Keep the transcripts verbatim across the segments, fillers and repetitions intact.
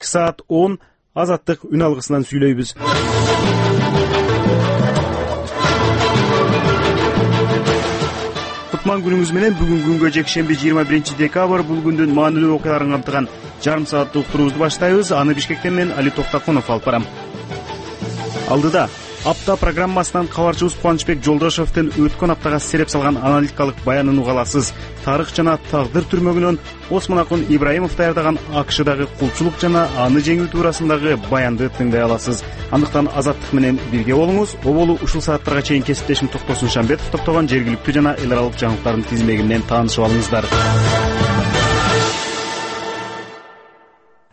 саат он Азаттык үн алгысынан сүйлөйбүз. Кутман күнүңүз менен. Бүгүн күнгө жекшемби жыйырма биринчи декабрь бул күндүн маанилүү окуяларын камтыган жарым сааттык уктуруубузду баштайбыз. Аны Бишкектен мен Али Токтакунов алып барам. Алдыда апта программасынан кабарчыбыз Кубанычбек Жолдошевдин өткөн аптага сереп салган аналитикалык баянын уга аласыз. Тарых жана тагдыр түрмөгүнөн Осмон Акын Ибраимов даярдаган АКШдагы кулчулук жана аны жеңүү туурасындагы баянды тыңдай аласыз. Андыктан Азаттык менен бирге болуңуз. Оболу ушул сааттарга чейин кесиптешим Токтосун Шамбетов топтогон жергиликтүү жана эл аралык жаңылыктардын тизмеги менен таанышып алыңыздар.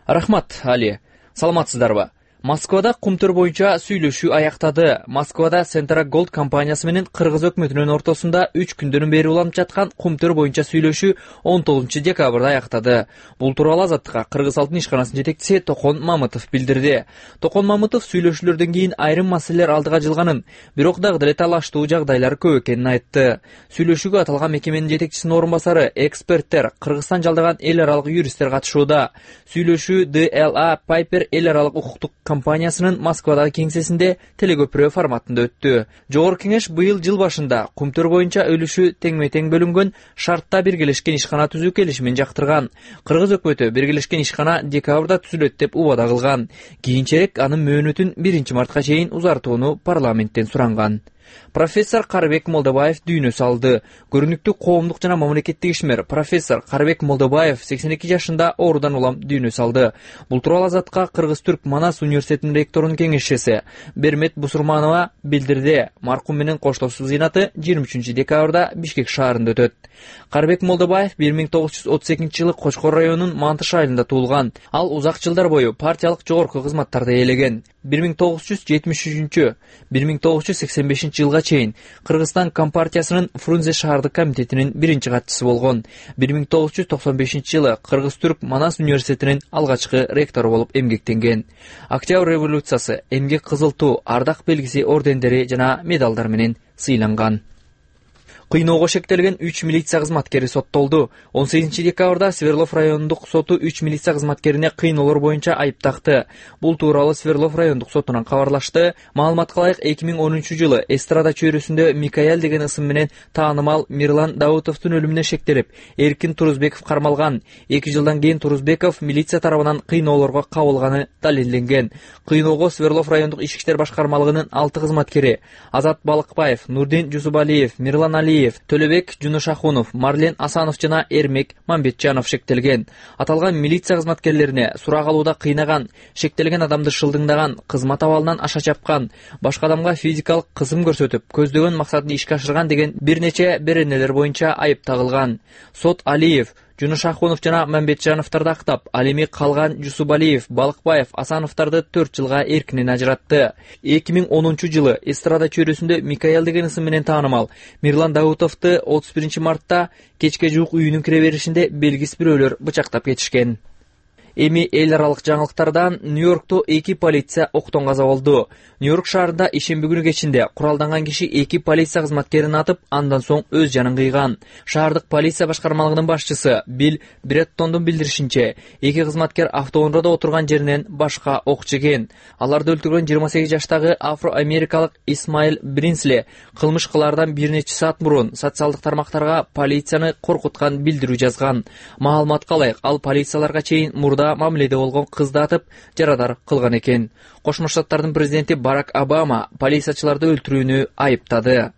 Рахмат, Али. Саламатсыздарбы? Москвада кумтөр боюнча сүйлөшүү аяктады. Москвада Centra Gold компаниясы менен Кыргыз өкмөтүнүн ортосунда үч күндөн бери уланып жаткан кумтөр боюнча сүйлөшүү он тогузунчу декабрда аяктады. Бул тууралуу Азаттыкка Кыргыз Алтын ишканасынын жетекчиси Токон Мамытов билдирди. Токон Мамытов сүйлөшүүлөрдөн кийин айрым маселелер алдыга жылганын, бирок дагы деле талаштуу жагдайлар көп экенин айтты. Сүйлөшүүгө аталган мекеменин жетекчисинин орун басары, эксперттер, Кыргызстан жалдаган эл аралык юристтер катышууда. Сүйлөшүү ди эл а Piper эл аралык укуктук компаниясынын Москвадагы кеңсесинде телекөпүрө форматында өттү. Жогорку кеңеш быйыл жыл башында кумтөр боюнча өлүшү теңме-тең бөлүнгөн шартта биргелешкен ишкана түзүү келишимин жактырган. Кыргыз өкмөтү биргелешкен ишкана декабрда түзүлөт деп убада кылган. Кийинчерээк анын мөөнөтүн биринчи мартка чейин узартууну парламенттен суранган. Профессор Карыбек Молдобаев дүйнө салды. Көрүнүктүү коомдук жана мамлекеттик ишмер профессор Карыбек Молдобаев сексен эки жашында оорудан улам дүйнө салды. Бул тууралуу Азаттыкка Кыргыз-Түрк Манас университетинин ректорунун кеңешчиси Бермет Бусурманова билдирди. Маркум менен коштошуу зыйнаты жыйырма үчүнчү декабрда Бишкек шаарында өтөт. Карыбек Молдобаев бир миң тогуз жүз отуз экинчи жылы Кочкор районунун Мантыш айылында туулган. Ал узак жылдар бою партиялык жогорку кызматтарды ээлеген. бир миң тогуз жүз жетимиш үчүнчү — бир миң тогуз жүз сексен бешинчи жылга чейин Кыргызстан Компартиясынын Фрунзе шаардык комитетинин биринчи катчысы болгон. бир миң тогуз жүз токсон бешинчи жылы Кыргыз-Түрк Манас университетинин алгачкы ректору болуп эмгектенген. Октябрь революциясы, эмгек кызыл туу, ардак белгиси ордендери жана медалдар менен сыйланган. Кыйноого шектелген үч милиция кызматкери соттолду. он сегизинчи декабрда Сверлов райондук соту үч милиция кызматкерине кыйноолор боюнча айып такты. Бул тууралуу Сверлов райондук сотунан кабарлашты. Маалыматка ылайык, эки миң онунчу жылы эстрада чөйрөсүндө Микаэль деген ысым менен таанымал Мирлан Даутовдун өлүмүнө шектелип, Эркин Турузбеков кармалган. эки жылдан кийин Турузбеков милиция тарабынан кыйноолорго кабылганы далилденген. Кыйноого Сверлов райондук ички иштер башкармалыгынын алты кызматкери — Азат Балыкбаев, Нурдин Жусубалиев, Мирлан Али, Төлөбек Жунушахунов, Марлен Асанов жана Эрмек Мамбетжанов шектелген. Аталган милиция кызматкерлерине сурак алууда кыйнаган, шектелген адамды шылдыңдаган, кызмат абалынан аша чапкан, башка адамга физикалык кысым көрсөтүп, көздөгөн максатын ишке ашырган деген бир нече беренелер боюнча айып тагылган. Сот Алиев, Жунушахунов жана Мамбетжановдорду актап, ал эми калган Жусубалиев, Балыкбаев, Асановдорду төрт жылга эркинен ажыратты. эки миң онунчу жылы эстрада чөйрөсүндө Микаэль деген ысым менен таанымал Мирлан Даутовду отуз биринчи мартта кечке жуук үйүнүн кире беришинде белгисиз бирөөлөр бычактап кетишкен. Эми эл аралык жаңылыктардан Нью-Йоркто эки полиция октон каза болду. Нью-Йорк шаарында ишемби күнү кечинде куралданган киши эки полиция кызматкерин атып, андан соң өз жанын кыйган. Шаардык полиция башкармалыгынын башчысы Билл Бреттондун билдиришинче, эки кызматкер автоундаада отурган жеринен башка ок жеген. Аларды өлтүргөн жыйырма сегиз жаштагы афро-америкалык Исмаил Бринсли кылмыш кылаардан бир нече саат мурун социалдык тармактарга полицияны коркуткан билдирүү жазган. Маалыматка ылайык, ал полицияларга чейин мурда мамиледе болгон кызды атып, жарадар кылган экен. Кошмо Штаттардын президенти Барак Обама полициячыларды өлтүрүүнү айыптады.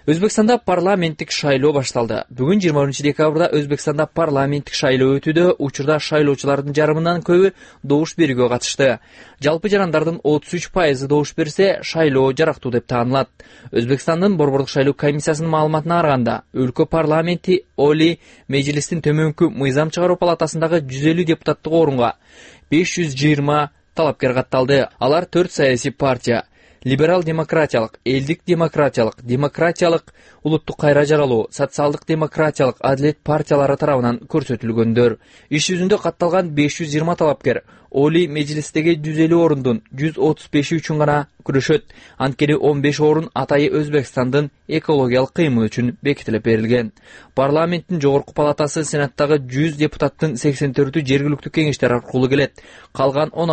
Өзбекстанда парламенттик шайлоо башталды. Бүгүн жыйырма биринчи декабрда Өзбекстанда парламенттик шайлоо өтүүдө. Учурда шайлоочулардын жарымынан көбү добуш берүүгө катышты. Жалпы жарандардын отуз үч пайызы добуш берсе, шайлоо жарактуу деп таанылат. Өзбекстандын борбордук шайлоо комиссиясынын маалыматына караганда, өлкө парламенти Оли Мejlistин төмөнкү мыйзам чыгаруу палатасындагы жүз элүү депутаттык орунга беш жүз жыйырма талапкер катталды. Алар төрт саясий партия — либерал демократиялык, элдик демократиялык, демократиялык, улуттук кайра жаралуу, социалдык демократиялык, адилет партиялары тарабынан көрсөтүлгөндөр. Иш жүзүндө катталган беш жүз жыйырма талапкер Олий Мejlisдеги жүз элүү орундун жүз отуз беши үчүн гана күрөшөт. Анткени он беш орун атайы Өзбекстандын экологиялык кыймы үчүн бекитилип берилген. Парламенттин жогорку палатасы Сенаттагы жүз депутаттын сексен төртү жергиликтүү кеңештер аркылуу келет. Калган он